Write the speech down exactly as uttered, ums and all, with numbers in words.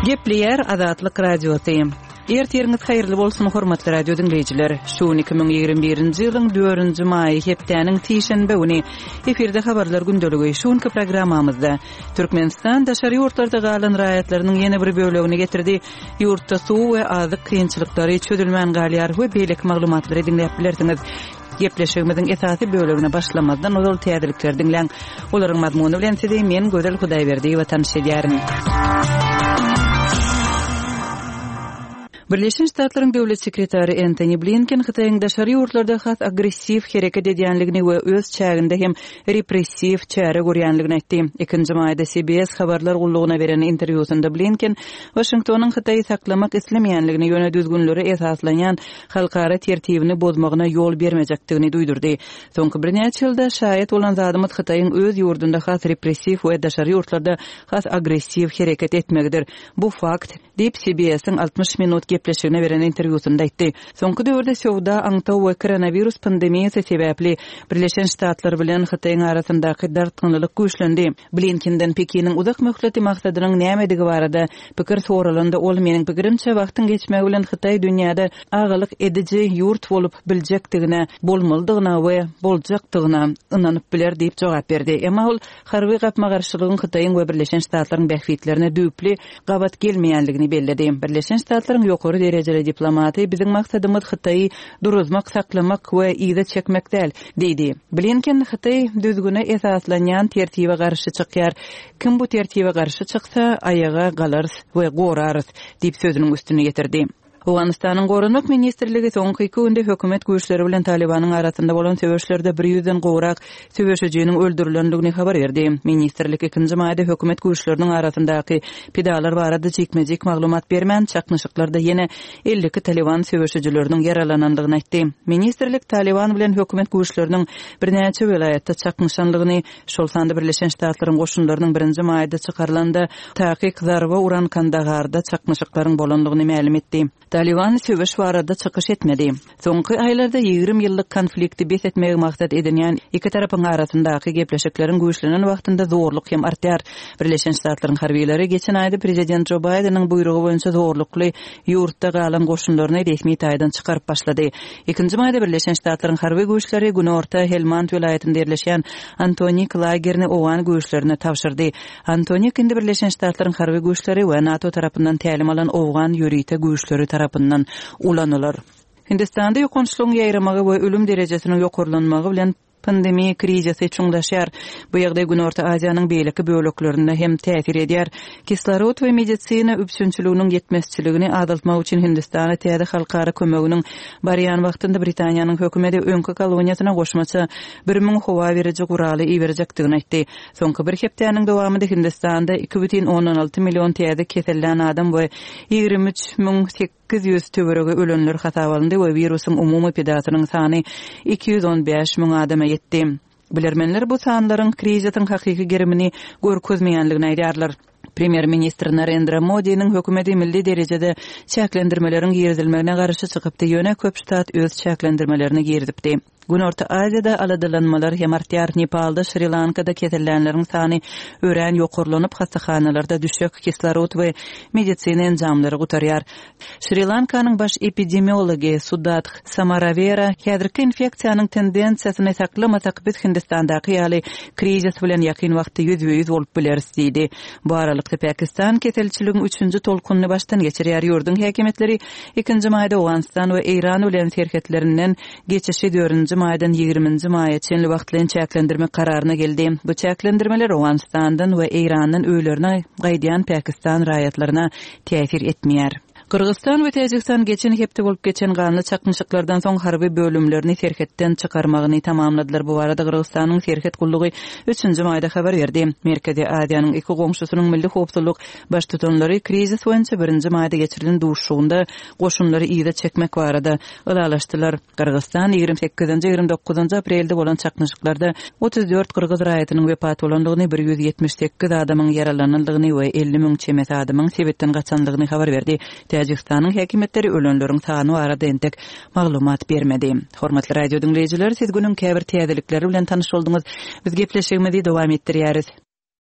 Gepleýär Azatlyk Radiosy. Ertiriňiz haýyrly bolsun, hormatly radio diňleýjiler. Şu gün iki müň ýigrimi birinji ýylyň dördünji maýy, hepdäniň sişenbe güni. Efirde habarlar gündeligi. Şu günki programmamyzda Türkmenistan daşary ýurtlarda galan raýatlarynyň ýene bir bölegini getirdi. Ýurtda suw we azyk kynçylyklary çözülmän galýar we beýleki maglumatlary diňläp bilersiňiz. Gepleşigimiziň esasy bölegine başlamazdan ozal täzelikleri diňläň. Olaryň mazmuny bilen sizi men Gözel Hudaýberdiýewa tanyş edýärin. Birleşen Ştatlaryň Döwlet sekretary Entoni Blinken Hytaýyň daşary ýurtlarda has agressiw hereket edýänligini we öz çäginde hem repressiw çäre görýänligini aýtdy. Ikinji maýda C B S habarlar gullugyna beren interwýusynda Blinken Waşingtonyň Hytaýy saklamak islemeýänligini, ýöne düzgünlere esaslanýan halkara tertibini bozmagyna ýol bermejekdigini duýdurdy. Soňky birnäçe ýylda şaýat bolan zadymyz Hytaýyň öz ýurdunda has repressiw we daşary ýurtlarda has agressiw hereket etmegidir. Bu fakt, diýip C B S-iň altmyş minut gepleşigine beren interwýusynda aýtdy. Soňky döwürde söwda, aňtaw we koronawirus pandemiýasy sebäpli Birleşen Ştatlar bilen Hytaýyň arasyndaky dartgynlylyk güýçlendi. Blinkenden Pekiniň uzak möhleti maksadynyň nämedigi barada pikir soralanda ol meniň pikirimçe wagtyň geçmegi bilen Hytaý dünýäde agalyk ediji ýurt bolup biljekdigine, bolmalydygyna we boljakdygyna ynanyp biler diýip jogap berdi. Emma ol harby gapma-garşylygyň Hytaýyň we Birleşen Ştatlaryň bähbitlerine düýpli gabat gelmeýänligini belledi. Birleşen Ştatlaryň ýokary derejeli diplomaty biziň maksadymyz Hytaýy duruzmak, saklamak we yza çekmek däl, diýdi. Blinken Hytaý düzgüne esaslanýan tertibe garşy çykýar. Kim bu tertibe garşy çyksa, aýaga galarys we gorarys, diýip sözüniň üstüne getirdi. Owganystanyň Goranmak Ministrligi soňky iki günde hökümet güýçleri bilen Talibanyň arasynda bolan söweşlerde bir ýüzden gowrak söweşijiniň öldürilendigini habar berdi. Ministrlik ikinji maýda hökümet güýçleriniň arasyndaky pidalar barada jikme-jik maglumat bermän, çaknyşyklarda ýene elli iki Taliban söweşijileriniň ýaralanandygyny aýtdy. Ministrlik Taliban bilen hökümet güýçleriniň birnäçe welaýatda çaknyşandygyny, şol sanda Birleşen Ştatlaryň goşunlarynyň birinji maýda çykarylanda takyk zarba uran Kandaharda çaknyşyklaryň bolandygyny mälim etdi. Taliban söweş barada çykyş etmedi. Soňky aýlarda ýigrimi ýyllyk konflikti bes etmegi maksat edinýän iki tarapyň arasyndaky gepleşikleriň güýçlenen wagtynda zorluk hem artýar. Birleşen Ştatlaryň harbiylary geçen aýda prezident Joe Biden'iň buýrugy boýunça zorlukly ýurtda galan goşunlaryny resmi taýdan çykaryp başlady. Ikinji maýda Birleşen Ştatlaryň harby güýçleri Günorta Helmand welaýatynda ýerleşýän Antonik lagerini Owgan güýçlerine tabşyrdy. Antonik indi Birleşen Ştatlaryň harby güýçleri we NATO tarapyndan tälim alan Owgan ýörite güýçleri tarapyndan ulanylar. Hindistanda ýokançlygyň ýaýramagy we ölüm derejesiniň ýokarlanmagy bilen pandemiýa krizisi çuňlaşýar. Bu ýagdaý Günorta Aziýanyň beýleki böleklerinde hem täsir edýär. Kislorod we medisina üpjünçiliginiň ýetmezçiligini azaltmak üçin Hindistana täze halkara kömeginiň barýan wagtynda Britaniýanyň hökümeti öňki koloniýasyna goşmaça bir müň howa beriji guraly iberjekdigini aýtdy. Soňky bir hepdäniň dowamynda Hindistanda iki bütin ondan alty million täze kesellän adam we ýigrimi üç müň sekiz ýüz töweregi ölenler hasap alyndy we wirusyň umumy pedasynyň sany iki ýüz on bäş müň adama ýetdi. Bilermenler bu sanlaryň krizisiň hakyky gerimini görkezmeýänligini aýdýarlar. Premýer-ministr Narendra Modi'niň hökümeti milli derejede çäklendirmeleriň girizilmegine garşy çykypdy, ýöne köp ştat öz çäklendirmelerini girizipdi. Günorta Aziýada aladalanmalar hem artýar. Nepalda, Şri-Lankada kesellänleriň sany örän ýokarlanyp, hassahanalarda düşek, kislorod we medisina enjamlary gutarýar. Şri-Lankanyň baş epidemiology Sudat Samaravera häzirki infeksiýanyň tendensiýasyny saklamasak biz Hindistandaky ýaly krizis bilen ýakyn wagtda ýüzbe-ýüz bolup bileris diýdi. Bu aralykda Pakistan keselçiligiň üçünji tolkunyny başdan geçirýär. Ýurduň häkimiýetleri ikinji maýda Owganystan we Eýran bilen serhetlerinden geçişi dördünji maýdan ýigriminji maýa çenli wagtlaýyn çäklendirmek kararyna geldi. Bu çäklendirmeler Owganistandan we Eýrandan öýlerine gaýdýan Pakistan raýatlaryna täsir etmeýär. Gyrgyzstan we Täjigistan geçen hepde bolup geçen ganly çaknyşyklardan soň harby bölümlerini serhetden çykarmagyny tamamladylar. Bu barada Gyrgyzstanyň serhet gullugy üçünji maýda habar berdi. Merkezi Aziýanyň iki goňşusynyň milli howpsuzlyk baştutanlary krizis boýunça birinji maýda geçirilen duşuşygynda goşunlary yza çekmek barada ylalaşdylar. Gyrgyzstan ýigrimi sekizinji, ýigrimi dokuzynjy aprelde bolan çaknyşyklarda otuz dört gyrgyz raýatynyň wepat bolandygyny, bir ýüz ýetmiş sekiz adamyň ýaralanandygyny we elli müň çemesi adamyň sebetden gaçandygyny habar berdi. Täjigistanyň häkimiýetleri ölenleriň sany barada entek maglumat bermedi. Hormatly radio diňleýjiler, siz günüň käbir täzelikleri bilen tanyş bolduňyz. Biz gepleşigimizi dowam etdirýäris.